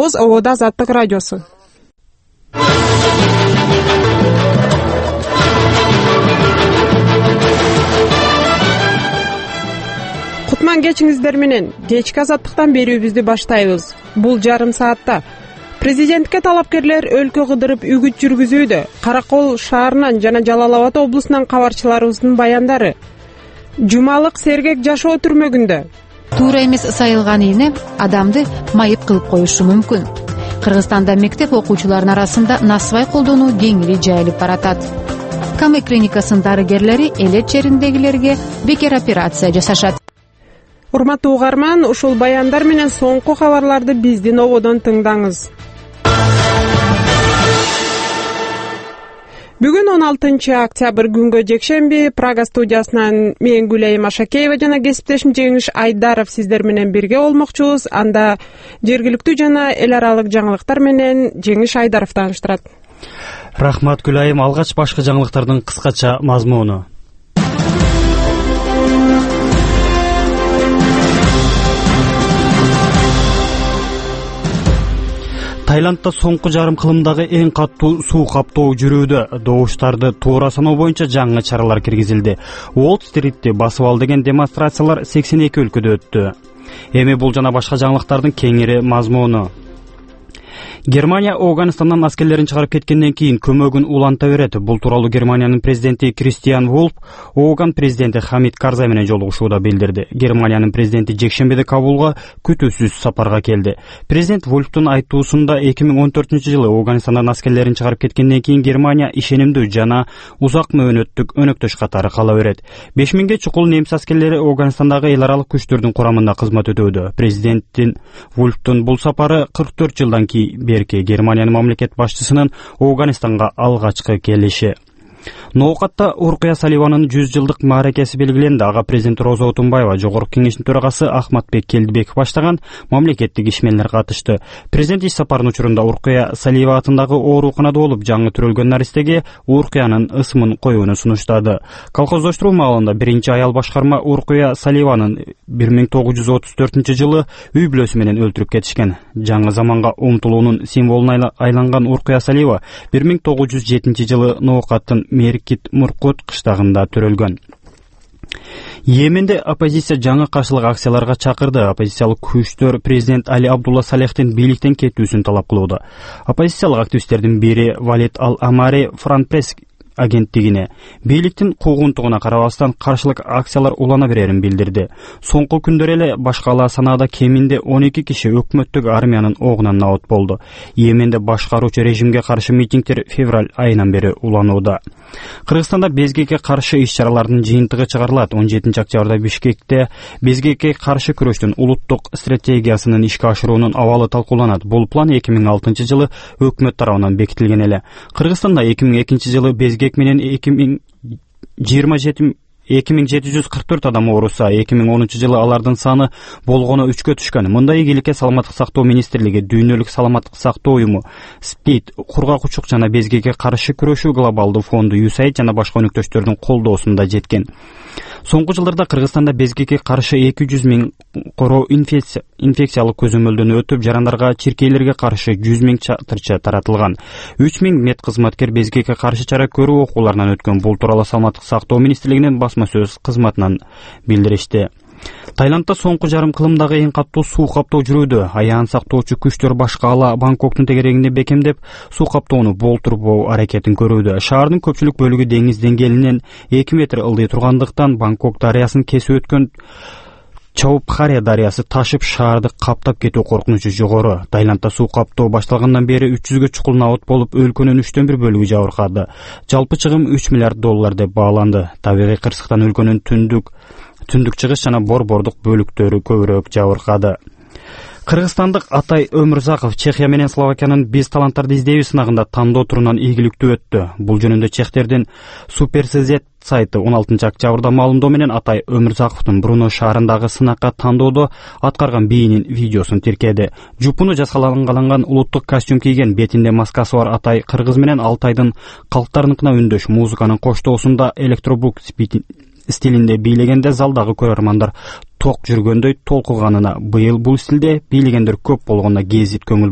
Оз ободо Азаттык радиосу. Кутман кечиңиздер менен кечки Азаттыктан берүүбүздү баштайбыз. Бул жарым саатта президентке талапкерлер өлкө кыдырып үгүт жүргүзүүдө. Каракол шаарынан жана Жалал Абад облусунан кабарчыларыбыздын баяндары. Жумалык сергек жашоо түрмөгүндө. Туура эмес сайылган ийне адамды майып кылып коюшу мүмкүн. Кыргызстанда мектеп окуучуларынын арасында насыбай колдонуу кеңири жайылып баратат. Каме клиникасынын дарыгерлери элет жериндегилерге бекер операция жасашат. Урматтуу угарман, ушул баяндар менен соңку кабарларды биздин ободон тыңдаңыз. Бүгүн 16 октябрь күнгө жекшемби Прага студиясынан мен Гүлайым Ашакеева жана кесиптешим Жеңиш Айдаров сиздер менен бирге болмокчубуз. Анда жергиликтүү жана эл аралык жаңылыктар менен Жеңиш Айдаров тааныштырат. Рахмат Гүлайым. Алгач башкы жаңылыктардын кыскача мазмуну. Тайландда соңку жарым кылымдагы эң катуу суу каптоо жүрүүдө. Добуштарды туура саноо боюнча жаңы чаралар киргизилди. Уолл-стритти басып ал деген демонстрациялар 82 өлкөдө өттү. Эми бул жана башка жаңылыктардын кеңири мазмуну. Германия Афганистандан аскерлерин чыгарып кеткенден кийин көмөгүн уланта берет. Бул тууралуу Германиянын президенти Кристиан Вульф Афган президенти Хамид Карзай менен жолугушууда билдирди. Германиянын президенти жекшембиде Кабулга күтүүсүз сапарга келди. Президент Вульфтун айтуусунда 2014-жылы Афганистандан аскерлерин чыгарып кеткенден кийин Германия ишенимдүү жана узак мөөнөттүк өнөктөш катары кала берет. 5000ге чукул немис аскерлери Афганистандагы эл аралык күчтөрдүн курамында кызмат өтөөдө. Президенттин Вульфтун бул сапары 44 жылдан кийин Германиянын мамлекет башчысынын Афганистанга алгачкы келиши. Ноокатта Уркуя Саливанын 100 жылдык мааракеси белгиленди. Ага президент Роза Отунбаева, жогорку кеңештин төрагасы Ахматбек Келдибеков баштаган мамлекеттик ишмерлер катышты. Президент иш сапарынын учурунда Уркуя Салива атындагы ооруканада болуп, жаңы төрөлгөн наристеге Уркуянын ысымын коюуну сунуштады. Колхоздоштуруу маалында биринчи аял башкарма Уркуя Саливанын 1934-жылы үй бүлөсү менен өлтүрүп кетишкен. Жаңы заманга умтулуунун символуна айланган Уркуя Салива 1907-жылы Ноокаттын Меркит Муркут кыштагында төрөлгөн. Йеменде оппозиция жаңы каршылык акцияларга чакырды. Оппозициялык күчтөр президент Али Абдулла Салехтин бийликтен кетүүсүн талап кылууда. Оппозициялык активисттердин бири Валид Ал-Амари Франс пресс агенттигине бийликтин куугунтугуна карабастан каршылык акциялар улана берерин билдирди. Соңку күндөр эле башкала санаада кеминде 12 киши өкмөттүк армиянын огунан набат болду. Йеменде башкаруучу режимге каршы митингдер февраль айынан бери уланууда. Кыргызстанда безгекке каршы иш-чаралардын жыйынтыгы чыгарылат. 17 октябрда Бишкекте безгекке каршы күрөштүн улуттук стратегиясынын ишке ашыруунун абалы талкууланат. Бул план 2006-жылы өкмөт тарабынан бекитилген эле. Кыргызстанда 2002-жылы безгек менен 2744 адам ооруса, 2010-жылы алардын саны болгону 3кө түшкөн. Мындай ийгиликке Саламаттык сактоо министрлиги, Дүйнөлүк саламаттык сактоо уюму, СПИД, кургакчылык жана безгекке каршы күрөшүү глобалдуу фонду USAID жана башка өнөктөштөрдүн колдоосунда жеткен. Соңку жылдарда Кыргызстанда безгекке каршы 200 000 короо инфекциялык көзөмөлдөн өтүп, жарандарга, чиркейлерге каршы 100 000 чатырча таратылган. 3000 медкызматкер безгекке каршы чара көрүү окууларынан өткөн. Бул тууралуу Саламаттык сактоо министрлигинин басма сөз кызматынан билдиришти. Тайландда соңку жарым кылымдагы эң катуу суу каптоо жүрүүдө. Аян сактоочу күчтөр башкала Бангкоктун тегерегинде бекемдеп, суу каптоону болтурбоо аракетин көрүүдө. Шаардын көпчүлүк бөлүгү деңиз деңгээлинен 2 метр ылдый тургандыктан Бангкок дарыясын кесип өткөн Чаупхаре дарыясы ташып шаарды каптап кетүү коркунучу жогору. Тайландда суу каптоо башталгандан бери 300гө чукул набат болуп, өлкөнүн 3/1 бөлүгү жабыркады. Жалпы чыгым 3 миллиард доллар деп бааланды. Табигый кырсыктан өлкөнүн түндүк чыгыш жана борбордук бөлүктөрү көбүрөөк жабыркады. Кыргызстандык Атай Өмүрзаков Чехия менен Словакиянын биз таланттарды издейбиз сынагында тандоо турунан ийгиликтүү өттү. Бул жөнүндө чехтердин Суперсезет сайты 16 октябрда маалымдоо менен Атай Өмүрзаковдун Бруно шаарындагы сынакка тандоодо аткарган бийинин видеосун тиркеди. Жупуну жасалган улуттук костюм кийген, бетинде маскасы бар Атай кыргыз менен Алтайдын калктарыныкына үндөш музыканын коштоосунда электробук стилинде бийлегенде залдагы көрөрмандар ток жүргөндөй толкуганына, быйыл бул стилде бийлегендер көп болгонуна гезит көңүл